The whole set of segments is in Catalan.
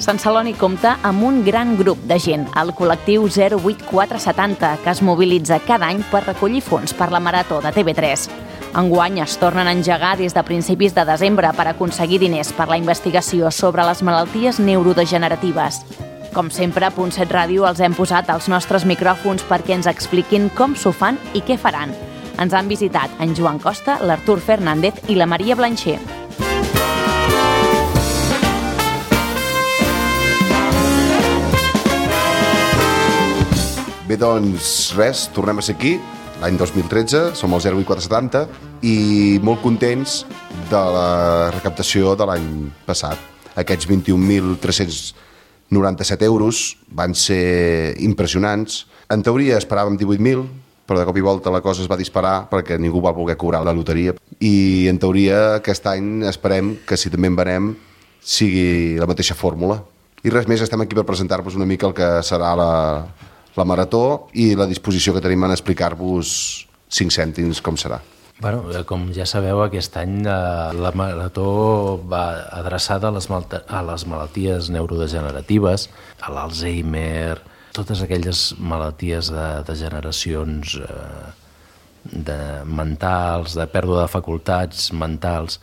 Sant Celoni compta amb un gran grup de gent, el col·lectiu 08470, que es mobilitza cada any per recollir fons per la Marató de TV3. Enguany es tornen a engegar des de principis de desembre per aconseguir diners per la investigació sobre les malalties neurodegeneratives. Com sempre, a Punt 7 Ràdio els hem posat als nostres micròfons perquè ens expliquin com s'ho fan i què faran. Ens han visitat en Joan Costa, l'Artur Fernández i la Maria Blancher. Bé, doncs res, tornem a ser aquí, l'any 2013, som el 08470 i molt contents de la recaptació de l'any passat. Aquests 21.397 euros van ser impressionants. En teoria esperàvem 18.000, però de cop i volta la cosa es va disparar perquè ningú va voler cobrar la loteria. I en teoria aquest any esperem que si també en venem sigui la mateixa fórmula. I res més, estem aquí per presentar-vos una mica el que serà la Marató i la disposició que tenim en explicar-vos 5 cèntims com serà. Bueno, com ja sabeu, aquest any la Marató va adreçada a les malalties neurodegeneratives, a l'Alzheimer, totes aquelles malalties de degeneracions mentals, de pèrdua de facultats mentals.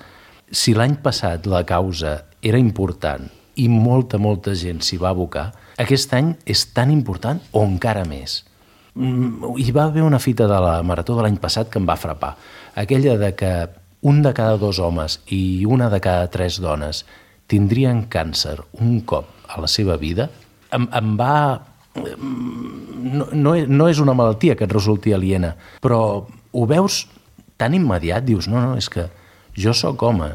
Si l'any passat la causa era important i molta gent s'hi va abocar, aquest any és tan important o encara més. Hi va haver una fita de la Marató de l'any passat que em va frapar. Aquella de que un de cada 2 homes i una de cada 3 dones tindrien càncer un cop a la seva vida, em va... No és una malaltia que et resulti aliena, però ho veus tan immediat, dius, no, és que jo sóc home,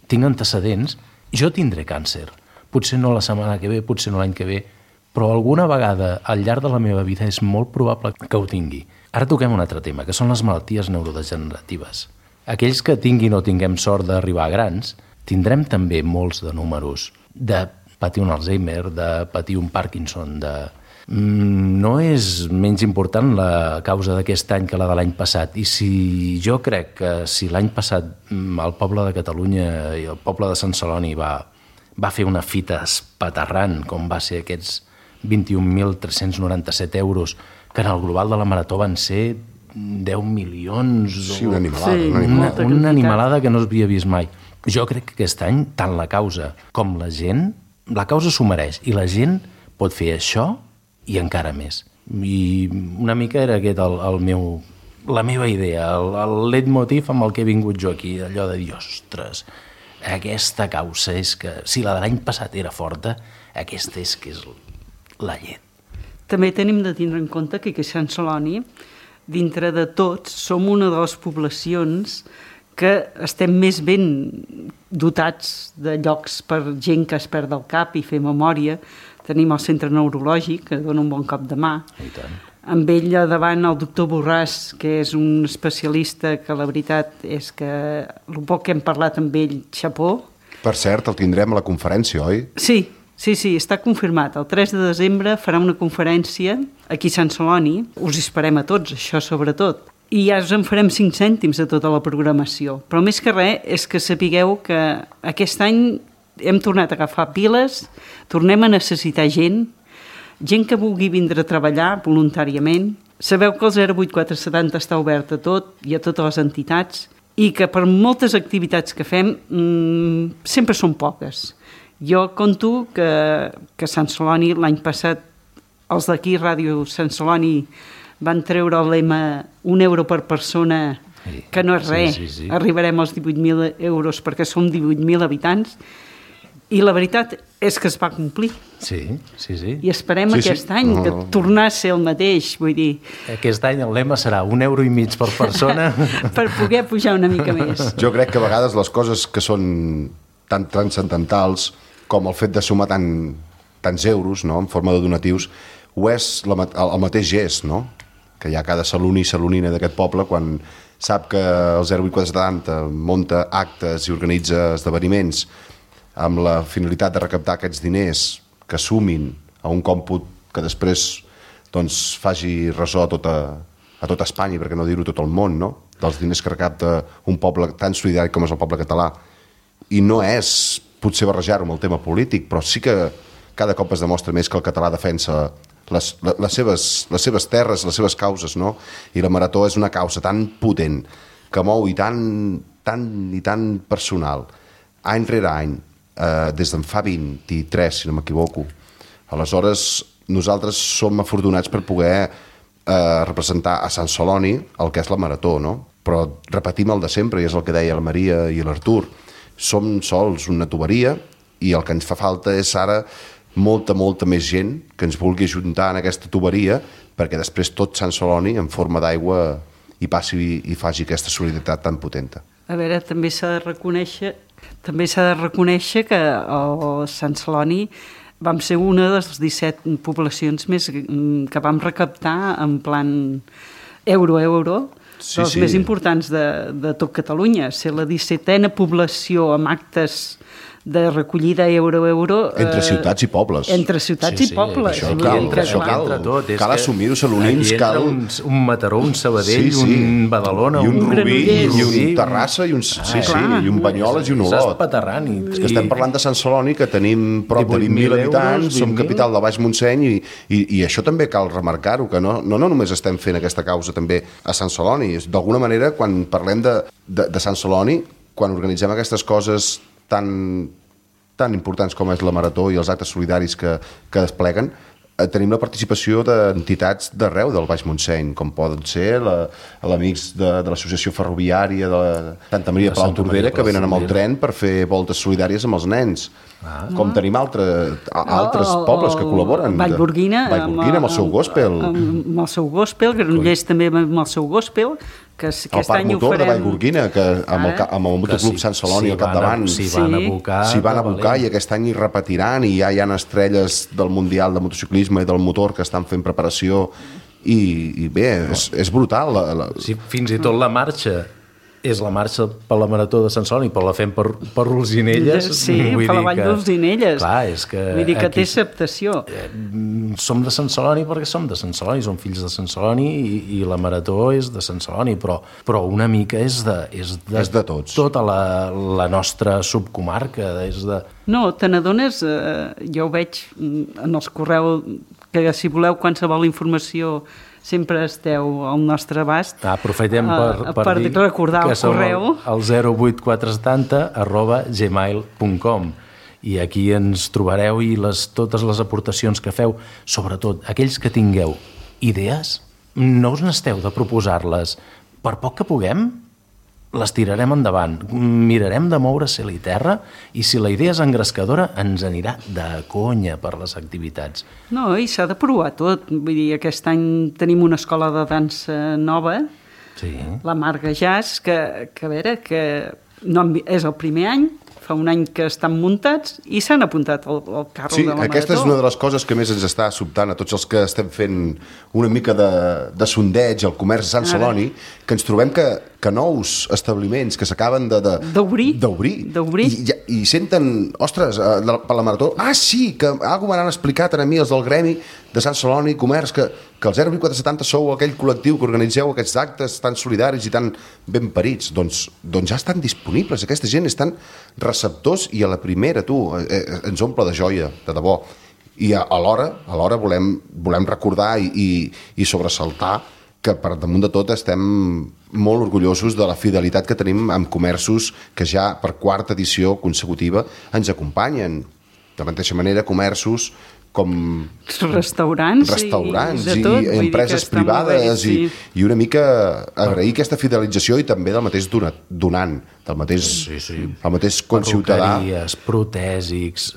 tinc antecedents, jo tindré càncer. Potser no la setmana que ve, potser no l'any que ve, però alguna vegada al llarg de la meva vida és molt probable que ho tingui. Ara toquem un altre tema, que són les malalties neurodegeneratives. Aquells que tinguin o tinguem sort d'arribar a grans, tindrem també molts de números de patir un Alzheimer, de patir un Parkinson, No és menys important la causa d'aquest any que la de l'any passat. I si jo crec que si l'any passat el poble de Catalunya i el poble de Sant Celoni va fer una fita espaterrant, com va ser aquests 21.397 euros, que en el global de la Marató van ser 10 milions... Sí, una animalada. Sí, una animalada que no s'havia vist mai. Jo crec que aquest any, tant la causa com la gent, la causa s'ho mereix, i la gent pot fer això i encara més. I una mica era aquest la meva idea, el leitmotiv amb el que he vingut jo aquí, allò de dir, ostres, aquesta causa és que, si la de l'any passat era forta, aquesta és que és la llet. També tenim de tindre en compte que a Sant Celoni, dintre de tots, som una de les poblacions que estem més ben dotats de llocs per gent que es perd el cap i fer memòria. Tenim el centre neurològic, que dona un bon cop de mà. I tant. Amb ell davant el doctor Borràs, que és un especialista que la veritat és que el poc que hem parlat amb ell, xapó. Per cert, el tindrem a la conferència, oi? Sí, està confirmat. El 3 de desembre farà una conferència aquí a Sant Celoni. Us esperem a tots, això sobretot. I ja us en farem 5 cèntims de tota la programació. Però més que res és que sapigueu que aquest any hem tornat a agafar piles, tornem a necessitar gent que vulgui vindre a treballar voluntàriament. Sabeu que el 08470 està obert a tot i a totes les entitats i que per moltes activitats que fem sempre són poques. Jo conto que Sant Celoni l'any passat, els d'aquí, Ràdio Sant Celoni, van treure el lema 1 euro per persona, que no és res. Sí. Arribarem als 18.000 euros perquè som 18.000 habitants. I la veritat és que es va complir. Sí. I esperem aquest any que tornar a ser el mateix, vull dir... Aquest any el lema serà 1,5 euros per persona. Per poder pujar una mica més. Jo crec que a vegades les coses que són tan transcendentals com el fet de sumar tants euros, no?, en forma de donatius, ho és el mateix gest, no?, que hi ha cada saloni i salonina d'aquest poble quan sap que el 08470 munta actes i organitza esdeveniments amb la finalitat de recaptar aquests diners que sumin a un còmput que després doncs, faci ressò a tota Espanya, perquè no dir-ho tot el món, no?, dels diners que recapta un poble tan solidari com és el poble català. I no és potser barrejar-ho amb el tema polític, però sí que cada cop es demostra més que el català defensa les seves terres, les seves causes, no? I la Marató és una causa tan potent que mou i tan personal, any rere any, des d'en fa 23, si no m'equivoco. Aleshores, nosaltres som afortunats per poder representar a Sant Celoni el que és la Marató, no? Però repetim el de sempre, i és el que deia la Maria i l'Artur. Som sols una tuberia i el que ens fa falta és ara molta més gent que ens vulgui ajuntar en aquesta tuberia perquè després tot Sant Celoni en forma d'aigua i passi i faci aquesta solidaritat tan potenta. A veure, també s'ha de reconèixer que el Sant Celoni vam ser una de les 17 poblacions més que vam recaptar en plan euro, dels més importants de tot Catalunya. Ser la 17a població amb actes de recollida euro. Entre ciutats i pobles. Entre ciutats i pobles. Això cal assumir-ho, salonins, cal... Un Mataró, un Sabadell, un Badalona, un Rubí, i un Terrassa, i un Banyoles i un Olot. És que estem parlant de Sant Celoni, que tenim prop de 20.000 habitants, som capital del Baix Montseny, i això també cal remarcar-ho, que no només estem fent aquesta causa també a Sant Celoni. D'alguna manera, quan parlem de Sant Celoni, quan organitzem aquestes coses tan importants com és la Marató i els actes solidaris que despleguen, tenim la participació d'entitats d'arreu del Baix Montseny, com poden ser l'Amics de l'Associació Ferroviària de Santa Maria de Palau Tordera, que venen amb el tren per fer voltes solidàries amb els nens. Com tenim altres pobles que col·laboren. Vallgorguina amb el seu gospel. Amb el seu gospel, Granollers també amb el seu gospel, que el Parc Motor de Vallgorguina, que amb el Motoclub Sant Celoni al capdavant s'hi van abocar i aquest any hi repetiran, i ja hi ha estrelles del Mundial de Motociclisme i del motor que estan fent preparació, i bé, és brutal. Fins i tot la marxa és la marxa per la Marató de Sant Celoni, però la fem per Olzinelles. Sí, per la Vall d'Olzinelles. Clar, és que... Vull dir que té acceptació. Som de Sant Celoni perquè som de Sant Celoni, som fills de Sant Celoni, i la Marató és de Sant Celoni, però una mica és de tots. Tota la nostra subcomarca. No, te n'adones, jo ho veig en els correus, que si voleu qualsevol informació sempre esteu al nostre abast. Aprofitem per dir recordar que el correu. Som el 08470@gmail.com, i aquí ens trobareu, i totes les aportacions que feu, sobretot aquells que tingueu idees, no us n'esteu de proposar-les. Per poc que puguem, les tirarem endavant, mirarem de moure cel i terra, i si la idea és engrescadora ens anirà de conya per les activitats. No, i s'ha de provar tot. Vull dir, aquest any tenim una escola de dansa nova, la Marga Jazz, que a veure, que no és el primer any, fa un any que estan muntats i s'han apuntat al carro de la Marató. Sí, aquesta és una de les coses que més ens està sobtant a tots els que estem fent una mica de sondeig al comerç de Sant Celoni, que ens trobem que nous establiments que s'acaben d'obrir i senten, ostres, per la Marató, sí, que alguna m'han explicat a mi els del gremi de Sant Celoni Comerç, que el 08470 sou aquell col·lectiu que organitzeu aquests actes tan solidaris i tan ben parits. Doncs ja estan disponibles, aquesta gent estan receptors, i a la primera, ens omple de joia, de debò. I alhora volem recordar i sobresaltar que per damunt de tot estem molt orgullosos de la fidelitat que tenim amb comerços que ja per quarta edició consecutiva ens acompanyen. De la mateixa manera, comerços com restaurants i empreses privades, i una mica agrair aquesta fidelització, i també del mateix donant, del mateix conciutadà. Perruqueries, protèsics,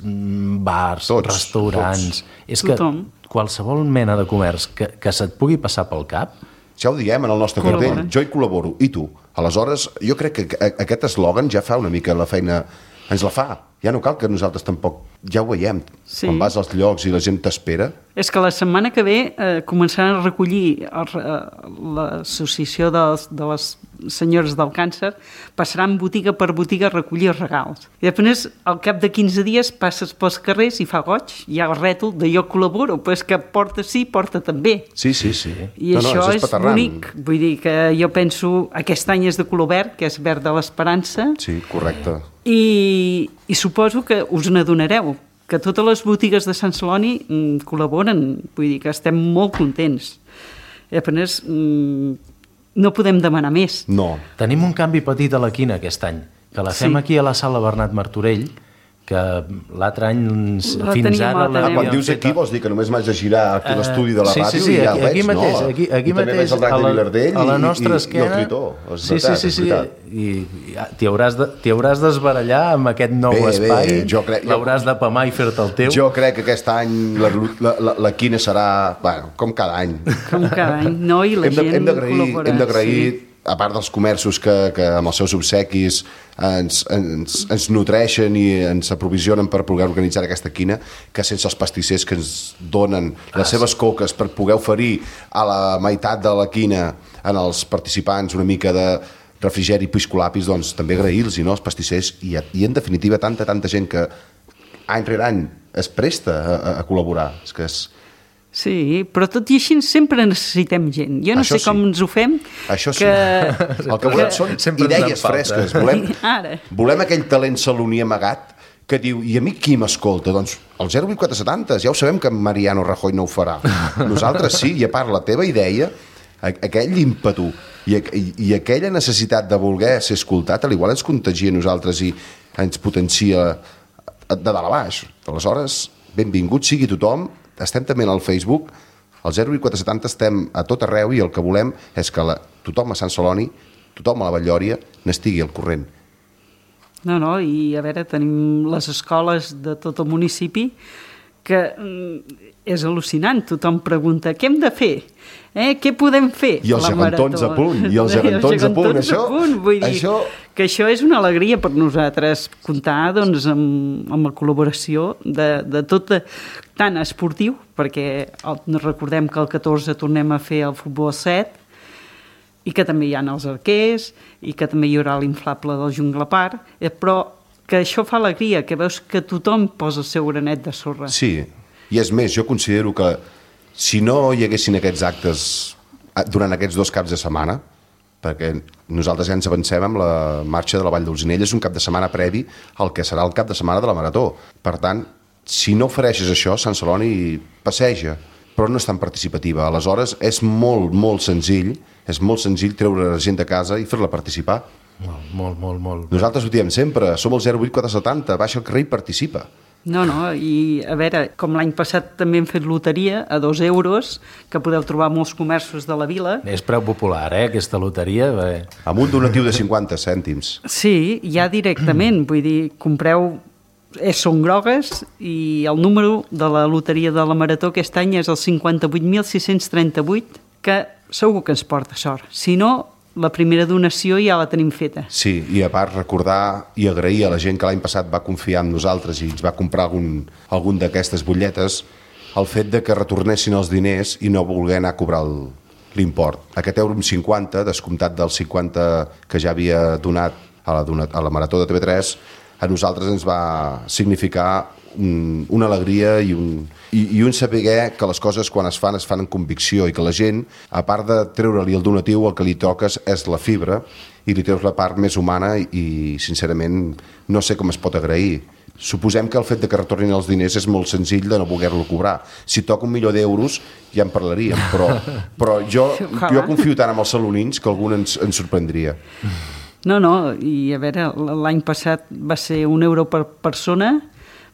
bars, restaurants... És que qualsevol mena de comerç que se't pugui passar pel cap... Ja ho diem en el nostre cartell, jo hi col·laboro, i tu? Aleshores, jo crec que aquest eslògan ja fa una mica la feina, ens la fa. Ja no cal que nosaltres tampoc, ja ho veiem, quan vas als llocs i la gent t'espera. És que la setmana que ve començaran a recollir l'associació de les senyores del càncer, passaran botiga per botiga a recollir regals. I després, al cap de 15 dies, passes pels carrers i fa goig, hi ha el rètol de jo col·laboro, però és que porta sí, porta també. Sí. I això és bonic. Vull dir que jo penso, aquest any és de color verd, que és verd de l'esperança. Sí, correcte. I suposo que us n'adonareu, que totes les botigues de Sant Celoni col·laboren, vull dir que estem molt contents. I apenas no podem demanar més. No. Tenim un canvi petit a la quina aquest any, que la fem aquí a la sala Bernat Martorell, que l'altre any fins ara... Quan dius aquí vols dir que només m'haig de girar aquí a l'estudi de la ràdio sí, i ja ho aquí veig, mateix, no? Aquí també veig el drac de Vilardell a la nostra esquena, i el tritó. Sí, i t'hi hauràs d'esbarallar amb aquest nou espai, l'hauràs de pamar i fer-te el teu. Jo crec que aquest any la quina serà, bueno, com cada any. Com cada any, no? I la gent col·labora. Hem d'agrair, a part dels comerços que amb els seus obsequis ens nutreixen i ens aprovisionen per poder organitzar aquesta quina, que sense els pastissers que ens donen les seves coques per poder oferir a la meitat de la quina en els participants una mica de refrigeri i piscolapis, doncs també agrair-los, no, els pastissers, i en definitiva tanta gent que any rere any es presta a col·laborar. És que és... Sí, però tot i així sempre necessitem gent. Jo no sé com ens ho fem. Això sí. El que volem són idees fresques. Volem aquell talent saloní amagat que diu, i a mi qui m'escolta? Doncs el 08470, ja ho sabem que Mariano Rajoy no ho farà. Nosaltres sí, i a part la teva idea, aquell ímpetu i aquella necessitat de voler ser escoltat, al igual ens contagia a nosaltres i ens potencia de dalt a baix. Aleshores, benvingut sigui tothom. Estem també al Facebook, al 08470 estem a tot arreu i el que volem és que tothom a Sant Celoni, tothom a la Batllòria, n'estigui al corrent. No, i a veure, tenim les escoles de tot el municipi que és al·lucinant. Tothom pregunta, què hem de fer? Què podem fer? I els gegantons a punt, Vull dir que això és una alegria per nosaltres comptar doncs, amb la col·laboració de tot, tant esportiu, perquè recordem que el 14 tornem a fer el futbol 7, i que també hi ha els arquers, i que també hi haurà l'inflable del Jungla Park, però que això fa alegria, que veus que tothom posa el seu granet de sorra. Sí, i és més, jo considero que si no hi haguessin aquests actes durant aquests 2 caps de setmana, perquè nosaltres ja ens avancem amb la marxa de la Vall d'Olzinella, és un cap de setmana previ al que serà el cap de setmana de la Marató. Per tant, si no ofereixes això, Sant Celoni passeja, però no és tan participativa. Aleshores, és molt senzill treure la gent de casa i fer-la participar. Molt. Nosaltres ho diem sempre, som el 08470, baixa al carrer i participa. No, i a veure, com l'any passat també hem fet loteria a 2 euros, que podeu trobar molts comerços de la vila. És preu popular, aquesta loteria. Amb un donatiu de 50 cèntims. Sí, ja directament, vull dir, compreu, són grogues, i el número de la loteria de la Marató aquest any és el 58.638, que segur que ens porta sort. Si no, la primera donació ja la tenim feta. Sí, i a part recordar i agrair a la gent que l'any passat va confiar en nosaltres i ens va comprar algun d'aquestes butlletes, el fet de que retornessin els diners i no voler anar a cobrar l'import. Aquest €50, descomptat dels 50 que ja havia donat a la Marató de TV3, a nosaltres ens va significar una alegria i un saber que les coses quan es fan amb convicció i que la gent, a part de treure-li el donatiu, el que li toques és la fibra i li treus la part més humana i sincerament no sé com es pot agrair. Suposem que el fet de que retornin els diners és molt senzill de no voler-lo cobrar. Si toca €1.000.000 ja en parlaríem, però jo confio tant en els salonins que algun ens sorprendria. No, i a veure, l'any passat va ser €1 per persona.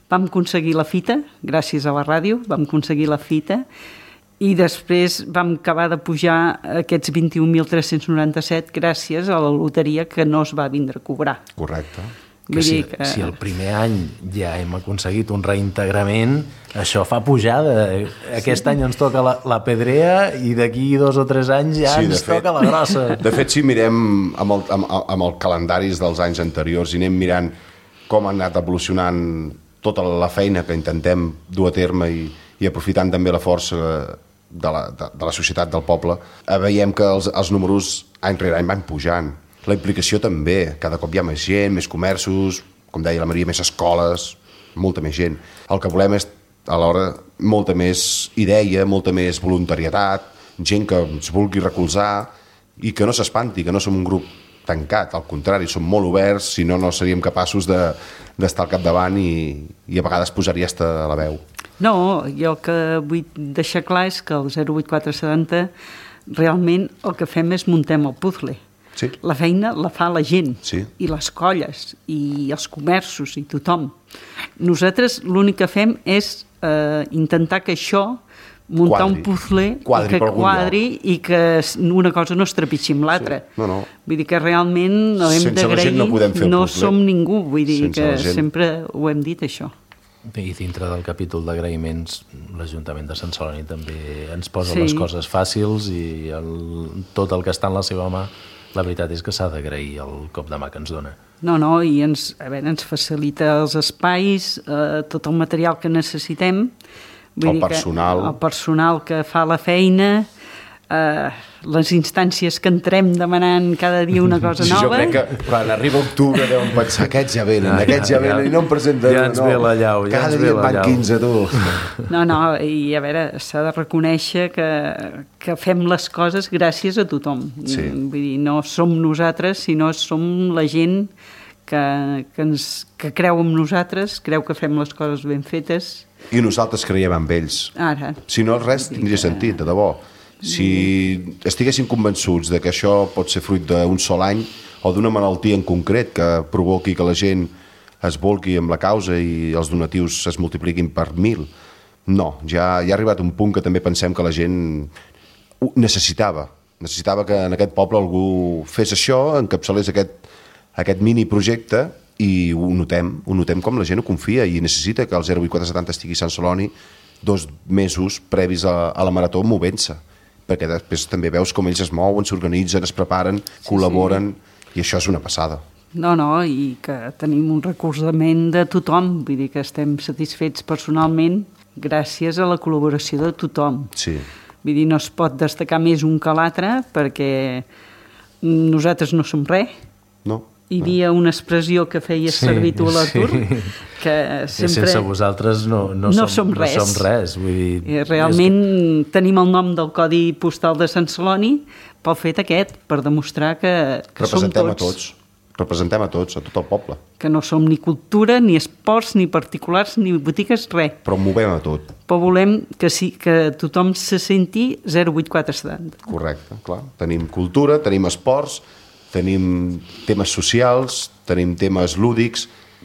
Vam aconseguir la fita, gràcies a la ràdio, vam aconseguir la fita, i després vam acabar de pujar aquests 21.397 gràcies a la loteria que no es va vindre a cobrar. Correcte. Si el primer any ja hem aconseguit un reintegrament, això fa pujada. Aquest any ens toca la pedrea i d'aquí 2 o 3 anys ja ens toca la grossa. De fet, si mirem amb els calendaris dels anys anteriors i anem mirant com ha anat evolucionant tota la feina que intentem dur a terme i aprofitant també la força de la societat del poble, veiem que els números any rere any van pujant. La implicació també, cada cop hi ha més gent, més comerços, com deia la Maria, més escoles, molta més gent. El que volem és, alhora, molta més idea, molta més voluntarietat, gent que ens vulgui recolzar i que no s'espanti, que no som un grup tancat, al contrari, som molt oberts, si no, no seríem capaços d'estar al capdavant i a vegades posaria a la veu. No, jo el que vull deixar clar és que el 08470 realment el que fem és muntem el puzzle. Sí. La feina la fa la gent, sí. I les colles, i els comerços, i tothom. Nosaltres l'únic que fem és intentar que això, muntar un puzzle que quadri i que una cosa no es trepitgi amb l'altra. Sí. No. Vull dir que realment hem d'agrair, no som ningú, vull dir que sempre ho hem dit això. I dintre del capítol d'agraïments, l'Ajuntament de Sant Celoni també ens posa les coses fàcils i tot el que està en la seva mà, la veritat és que s'ha d'agrair el cop de mà que ens dona. No, i ens facilita els espais, tot el material que necessitem. El personal. El personal que fa la feina, les instàncies que entrem demanant cada dia una cosa nova. Jo crec que quan arriba octubre deuen pensar aquests ja venen i no em presenten. Ja ens ve la llau. Cada dia et van 15, tu. No, i a veure, s'ha de reconèixer que fem les coses gràcies a tothom. Sí. Vull dir, no som nosaltres, sinó som la gent que creu en nosaltres, creu que fem les coses ben fetes. I nosaltres creiem en ells. Ara. Si no, res tindria sentit, de debò. Si estiguessin convençuts de que això pot ser fruit d'un sol any o d'una malaltia en concret que provoqui que la gent es volqui amb la causa i els donatius es multipliquin per 1.000, no, ja ha arribat un punt que també pensem que la gent necessitava que en aquest poble algú fes això, encapçalés aquest mini projecte, i ho notem com la gent ho confia i necessita que el 08470 estigui a Sant Celoni 2 mesos previs a la marató movent-se, perquè després també veus com ells es mouen, s'organitzen, es preparen, col·laboren, i això és una passada. No, i que tenim un recolzament de tothom, vull dir que estem satisfets personalment gràcies a la col·laboració de tothom. Sí. Vull dir, no es pot destacar més un que l'altre perquè nosaltres no som res. No. Hi havia una expressió que feies servir tu a l'atur, que sempre... Sense vosaltres no som res. Vull dir, realment tenim el nom del Codi Postal de Sant Celoni pel fet aquest, per demostrar que som tots. Representem a tots, a tot el poble. Que no som ni cultura, ni esports, ni particulars, ni botigues, res. Però movem a tot. Però volem que tothom se senti 08470. Correcte, clar. Tenim cultura, tenim esports, tenim temes socials, tenim temes lúdics,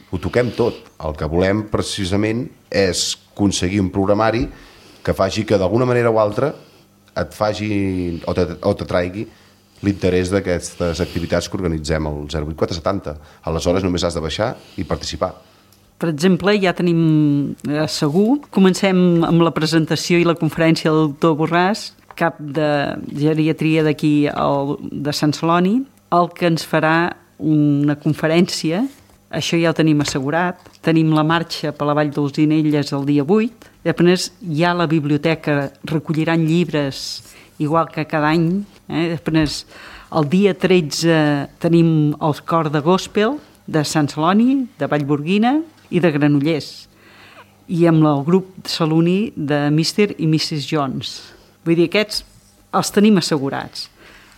ho toquem tot. El que volem precisament és aconseguir un programari que faci que d'alguna manera o altra et faci o t'atraigui l'interès d'aquestes activitats que organitzem al 08470. Aleshores només has de baixar i participar. Per exemple, ja tenim segur, comencem amb la presentació i la conferència del doctor Borràs, cap de geriatria d'aquí de Sant Celoni, el que ens farà una conferència, això ja ho tenim assegurat, tenim la marxa per la Vall d'Olzinelles el dia 8, després hi ha la biblioteca, recolliran llibres igual que cada any, després el dia 13 tenim el cor de gospel de Sant Celoni, de Vallborguina i de Granollers, i amb el grup saloní de Mr. i Mrs. Jones. Vull dir, aquests els tenim assegurats.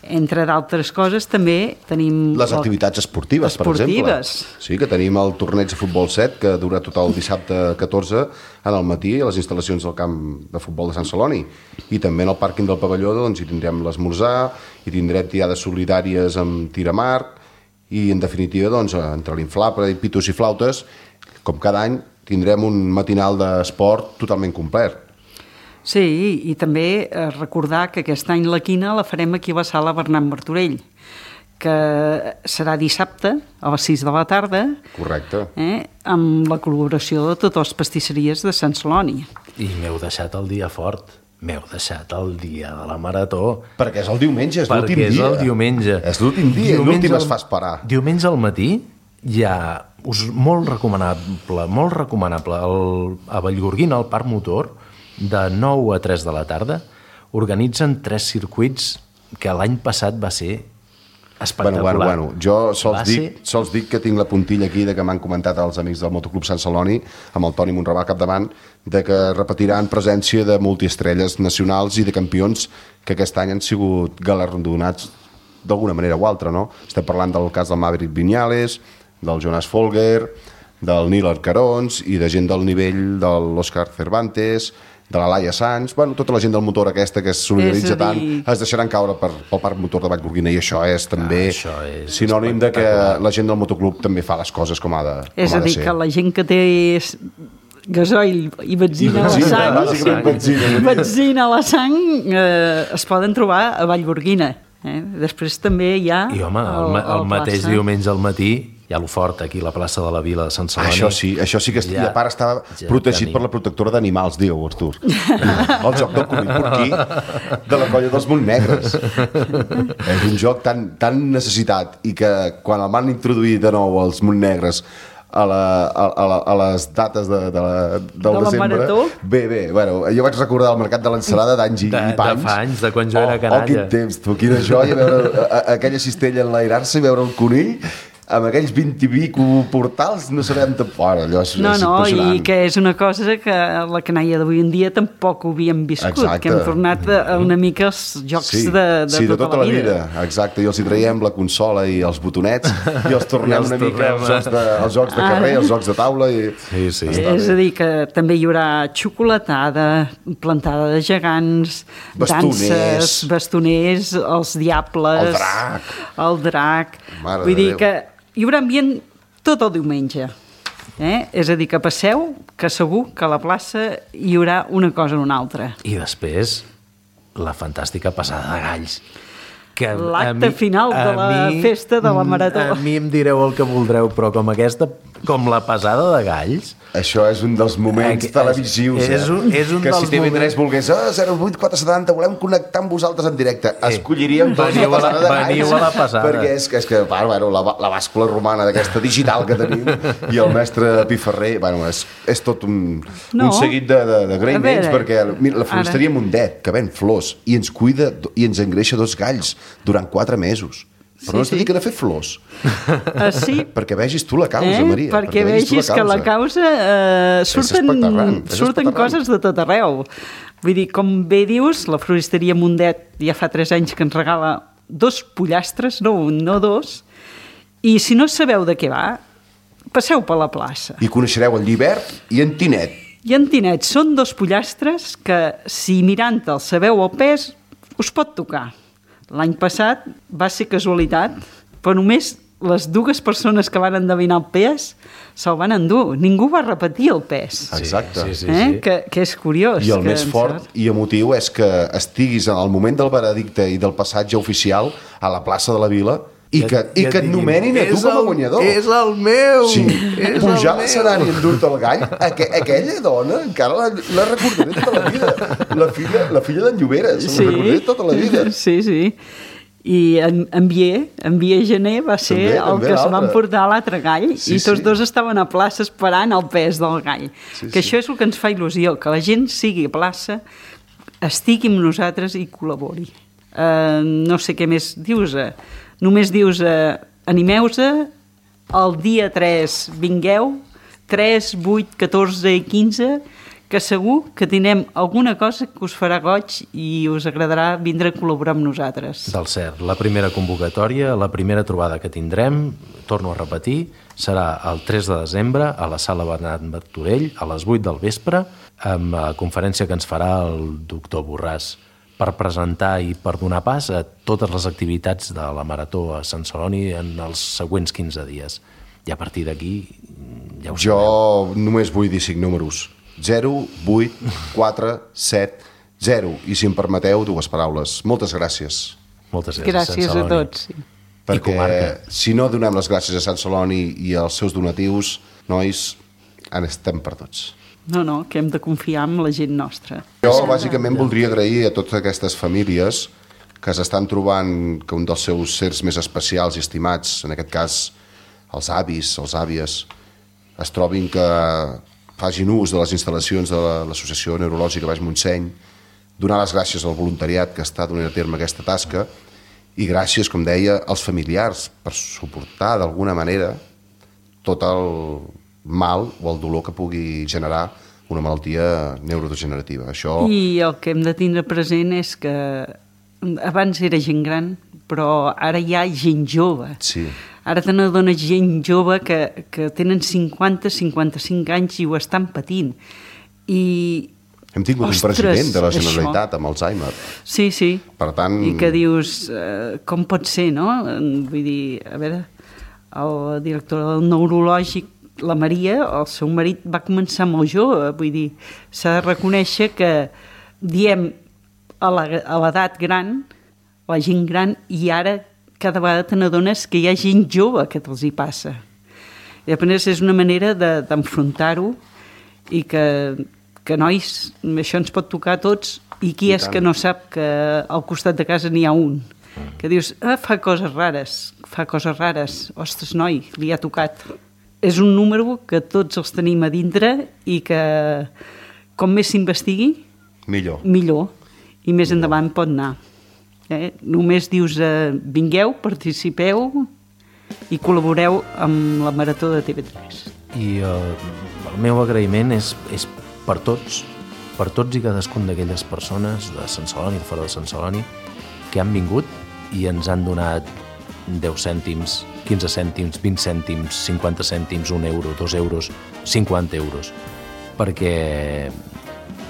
Entre d'altres coses també tenim... Les activitats esportives, per exemple. Sí, que tenim el torneig de futbol 7, que dura tot el dissabte 14 en el matí a les instal·lacions del camp de futbol de Sant Celoni. I també en el pàrquing del pavelló doncs, hi tindrem l'esmorzar, hi tindrem tirades solidàries amb tir a mar, i en definitiva, doncs, entre l'inflable i pitos i flautes, com cada any, tindrem un matinal d'esport totalment complet. Sí, i també recordar que aquest any la quina la farem aquí a la sala Bernat Martorell, que serà dissabte a les 6 de la tarda. Correcte. Amb la col·laboració de totes les pastisseries de Sant Celoni. I m'heu deixat el dia fort. M'heu deixat el dia de la marató. Perquè és el diumenge, és l'últim dia. Perquè és el diumenge. És l'últim dia, l'últim es fa esperar. Diumenge al matí hi ha molt recomanable a Vallgorguina, al Parc Motor, de 9 a 3 de la tarda, organitzen 3 circuits que l'any passat va ser espectacular. Bueno, jo sols dic que tinc la puntilla aquí de que m'han comentat els amics del Motoclub Sant Celoni, amb el Toni Monravà al capdavant, de que repetiran presència de multiestrelles nacionals i de campions que aquest any han sigut galardonats d'alguna manera o altra, no? Estem parlant del cas del Maverick Viñales, del Jonas Folger, del Nil Arcarons i de gent del nivell de l'Òscar Cervantes, de la Laia Sanz, bueno, tota la gent del motor aquesta que es solidaritza tant, es deixaran caure pel parc motor de Vallgorguina, i això és també sinònim de que la gent del motoclub també fa les coses com ha de ser. És a dir, que la gent que té gasoil i benzina a la sang, benzina a la sang, es poden trobar a Vallgorguina. Després també hi ha... I home, el mateix diumenge al matí hi ha lo fort aquí, la plaça de la Vila de Sant Celoni. Això sí que i a part estava protegit per la protectora d'animals, diu Artur. El joc del conill porquí de la colla dels Montnegres. És un joc tan necessitat, i que quan el van introduir de nou els Montnegres a les dates del desembre... Bé, bueno, jo vaig recordar el mercat de l'ensalada d'anys i panys. De fa anys, de quan jo era canalla. Quin temps, tu, quina joia veure aquella cistella enlairar-se i veure el conill amb aquells 20 i pico portals, no sabem tampoc, allò és impressionant. I que és una cosa que la canalla d'avui en dia tampoc ho havíem viscut. Exacte. Que hem tornat una mica als jocs de tota la vida. Exacte, i els hi traiem la consola i els botonets i els tornem una mica als jocs de carrer, als jocs de taula. Sí. És a dir, que també hi haurà xocolatada, plantada de gegants, danses, bastoners, els diables, el drac. Vull dir que hi haurà ambient tot el diumenge. És a dir, que passeu, que segur que a la plaça hi haurà una cosa o una altra. I després, la fantàstica passada de galls. L'acte final de la festa de la Marató. A mi em direu el que voldreu, però com la passada de galls... Això és un dels moments televisius. És un que si TV3 volgués 08470, volem connectar amb vosaltres en directe, escolliríem veniu a la passada. Perquè és que la bàscula romana d'aquesta digital que tenim i el mestre Piferrer, és tot un seguit d'agraïments, perquè la floristeria Mundet, que ven flors i ens cuida i ens engreixa 2 galls durant 4 mesos. Però no es dediquen a fer flors. Sí. Perquè vegis tu la causa, Maria. Perquè vegis que la causa surten coses de tot arreu. Vull dir, com bé dius, la floristeria Mundet ja fa 3 anys que ens regala 2 pollastres, no un, no 2, i si no sabeu de què va, passeu per la plaça. I coneixereu el Llibert i en Tinet. I en Tinet són 2 pollastres que, si mirant-te'ls sabeu el pes, us pot tocar. L'any passat va ser casualitat, però només les 2 persones que van endevinar el pes se'l van endur. Ningú va repetir el pes. Exacte. Sí. Que és curiós. I el més fort i emotiu és que estiguis en el moment del veredicte i del passatge oficial a la plaça de la Vila i que et nomenin a tu com a guanyador. És el meu! Sí, pujar a l'escenari i endur-te el gall, aquella dona encara la recordaré tota la vida. La filla d'en Lloberes, la recordaré tota la vida. Sí. I en Bier Gené va ser el que se van portar l'altre gall, i tots 2 estaven a plaça esperant el pes del gall. Que això és el que ens fa il·lusió, que la gent sigui a plaça, estigui amb nosaltres i col·labori. No sé què més dius. Només dius, animeu-se, el dia 3 vingueu, 3, 8, 14 i 15, que segur que tindrem alguna cosa que us farà goig i us agradarà vindre a col·laborar amb nosaltres. Del cert, la primera convocatòria, la primera trobada que tindrem, torno a repetir, serà el 3 de desembre a la sala Bernat Martorell a les 8 del vespre, amb la conferència que ens farà el doctor Borràs, per presentar i per donar pas a totes les activitats de la Marató a Sant Celoni en els següents 15 dies. I a partir d'aquí ja ho sabeu. Jo només vull dir 5 números. 0, 8, 4, 7, 0. I si em permeteu, 2 paraules. Moltes gràcies. Moltes gràcies a tots. Sí. Perquè si no donem les gràcies a Sant Celoni i als seus donatius, nois, en estem per tots. No, que hem de confiar en la gent nostra. Jo, bàsicament, voldria agrair a totes aquestes famílies que s'estan trobant que un dels seus sers més especials i estimats, en aquest cas els avis, les àvies, es trobin que facin ús de les instal·lacions de l'Associació Neurològica Baix Montseny, donar les gràcies al voluntariat que està donant a terme aquesta tasca i gràcies, com deia, als familiars per suportar d'alguna manera tot el mal o el dolor que pugui generar una malaltia neurodegenerativa. Això... I el que hem de tindre present és que abans era gent gran però ara hi ha gent jove. Sí. Ara te n'adones gent jove que tenen 50-55 anys i ho estan patint. I hem tingut un president de la Generalitat amb Alzheimer. Sí, sí. Per tant... I que dius, com pot ser, no? Vull dir, a veure, el director del neurològic, la Maria, el seu marit, va començar molt jove. Vull dir, s'ha de reconèixer que diem a l'edat gran, la gent gran, i ara cada vegada te n'adones que hi ha gent jove que te'ls hi passa. I després és una manera d'enfrontar-ho i que nois, això ens pot tocar a tots, i qui és que no sap que al costat de casa n'hi ha un? Que dius, fa coses rares, ostres, noi, li ha tocat. És un número que tots els tenim a dintre i que com més s'investigui, millor. I més endavant pot anar. Només dius, vingueu, participeu i col·laboreu amb la Marató de TV3. I el meu agraïment és per tots i cadascun d'aquelles persones de Sant Celoni, de fora de Sant Celoni, que han vingut i ens han donat 10 cèntims, 15 cèntims, 20 cèntims, 50 cèntims, 1 euro, 2 euros, 50 euros, perquè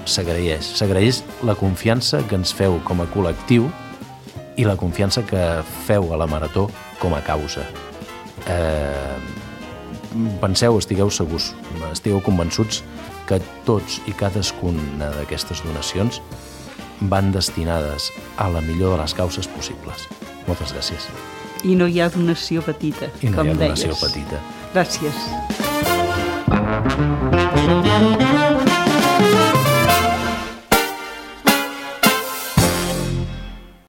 s'agraeix la confiança que ens feu com a col·lectiu i la confiança que feu a la Marató com a causa. Penseu, estigueu segurs, estigueu convençuts que tots i cadascuna d'aquestes donacions van destinades a la millor de les causes possibles. Moltes gràcies. I no hi ha donació petita, com deies. I no hi ha donació petita. Gràcies.